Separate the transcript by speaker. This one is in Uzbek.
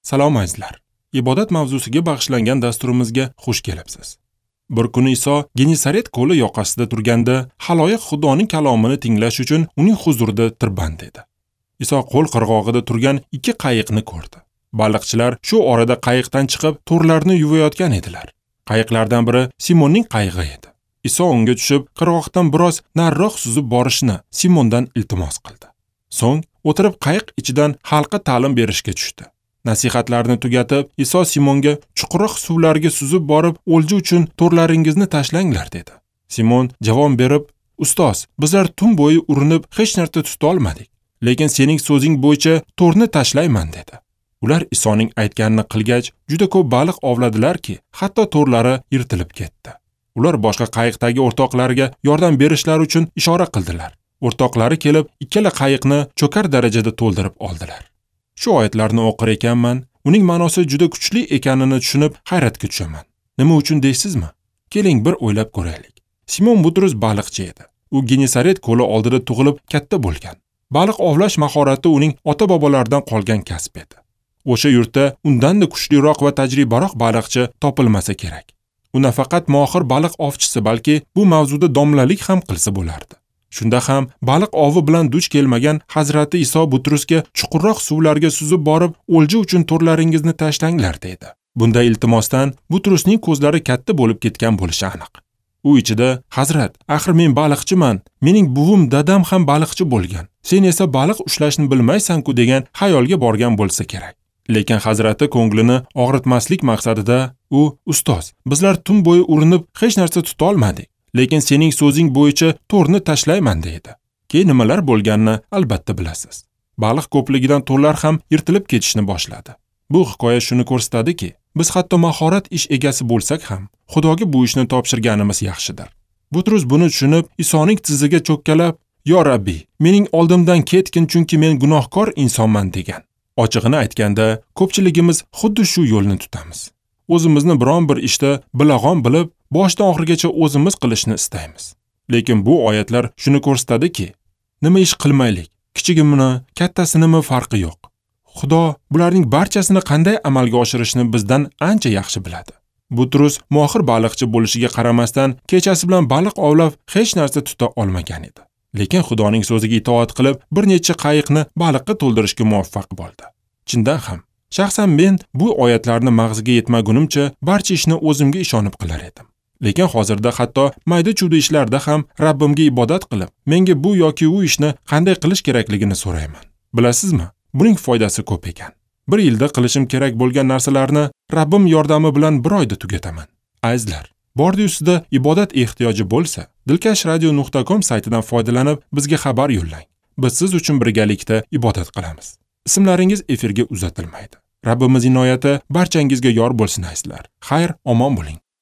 Speaker 1: Salom azizlar. Ibodat mavzusiga bag'ishlangan dasturimizga xush kelibsiz. Bir kuni Iso Genesaret ko'li yoqasida turganda, xaloyiq Xudoning kalomini tinglash uchun uning huzurida tirband edi. Iso qo'l qirg'og'ida turgan ikki qayiqni ko'rdi. Baliqchilar shu orada qayiqdan chiqib, to'rlarni yuvayotgan edilar. Qayiqlardan biri Simonning qayig'i edi. Iso unga tushib, qirg'oqdan biroz nariroq suzib borishni Simondan iltimos qildi. So'ng o'tirib qayiq ichidan xalqqa ta'lim berishga tushdi. Nasihatlarni tugatib, Iso Simonga chuqurroq suvlarga suzib borib, o'lja uchun to'rlaringizni tashlanglar dedi. Simon javob berib, "Ustoz, bizlar tun bo'yi urinib hech narsa tuta olmadik, lekin sening so'zing bo'yicha to'rni tashlayman" dedi. Ular Isoning aytganini qilgach, juda ko'p baliq ovladilarki, hatto to'rlari yirtilib ketdi. Ular boshqa qayiqdagi o'rtoqlariga yordam berishlari uchun ishora qildilar. O'rtoqlari kelib, ikkala qayiqni cho'kar darajada to'ldirib oldilar. Shu oyatlarni o'qir ekanman, uning ma'nosi juda kuchli ekanini tushunib hayratga tushaman. Nima uchun deysizmi? Keling bir o'ylab ko'raylik. Simon Butrus baliqchi edi. U Genesaret ko'li oldida tug'ilib katta bo'lgan. Baliq ovlash mahorati uning ota-bobolaridan qolgan kasb edi. O'sha yurtda undan-da kuchliroq va tajribaroq baliqchi topilmasa kerak. U nafaqat mohir baliq ovchisi, balki bu mavzuda domlalik ham qilsa bo'lardi. Shunda ham baliq ovi bilan duch kelmagan Hazrati Iso Butrusga chuqurroq suvlarga suzib borib, o'lja uchun to'rlaringizni tashlanglar dedi. Bunday iltimosdan Butrusning ko'zlari katta bo'lib ketgan bo'lishi aniq. U ichida, "Hazrat, axir men baliqchiman, mening buvim, dadam ham baliqchi bo'lgan. Sen esa baliq ushlashni bilmaysan-ku" degan xayolga borgan bo'lsa kerak. Lekin Hazrati ko'nglini og'ritmaslik maqsadida u, "Ustoz, bizlar tun bo'yi urinib hech narsa tuta olmadik. Lekin sening so'zing bo'yicha to'rni tashlayman" dedi. Keyin nimalar bo'lganini albatta bilasiz. Baliq ko'pligidan to'rlar ham yirtilib ketishni boshladi. Bu hikoya shuni ko'rsatadiki, biz hatto mahorat ish egasi bo'lsak ham, Xudoga bu ishni topshirganimiz yaxshidir. Butrus buni tushunib, Isoning tiziga cho'kkalab, "Yo Rabbi, mening oldimdan ketgin, chunki men gunohkor insonman" degan. Ochig'ini aytganda, ko'pchiligimiz xuddi shu yo'lni tutamiz. O'zimizni biron bir ishda bilag'on bilib, boshdan oxirigacha o'zimiz qilishni istaymiz. Lekin bu oyatlar shuni ko'rsatadiki, nima ish qilmaylik, kichigimini, kattasinimi farqi yo'q. Xudo bularning barchasini qanday amalga oshirishni bizdan ancha yaxshi biladi. Butrus mohir baliqchi bo'lishiga qaramasdan, kechasi bilan baliq ovlab hech narsa tuta olmagan edi. Lekin Xudoning so'ziga itoat qilib, bir necha qayiqni baliqqa to'ldirishga muvaffaq bo'ldi. Chindan ham, shaxsan men bu oyatlarni mag'ziga yetmagunimcha barcha ishni o'zimga ishonib qilar edim. Lekin hozirda hatto mayda-chuyda ishlarda ham Rabbimga ibodat qilib, menga bu yoki u ishni qanday qilish kerakligini so'rayman. Bilasizmi? Buning foydasi ko'p ekan. Bir yilda qilishim kerak bo'lgan narsalarni Rabbim yordami bilan bir oyda tugataman. Azizlar, bordi ustida ibodat ehtiyoji bo'lsa, dilkashradio.com saytidan foydalanib bizga xabar yo'llang. Biz siz uchun birgalikda ibodat qilamiz. Ismlaringiz efirga uzatilmaydi. Rabbimiz inoyati barchangizga yor bo'lsin azizlar. Xayr, omon bo'ling.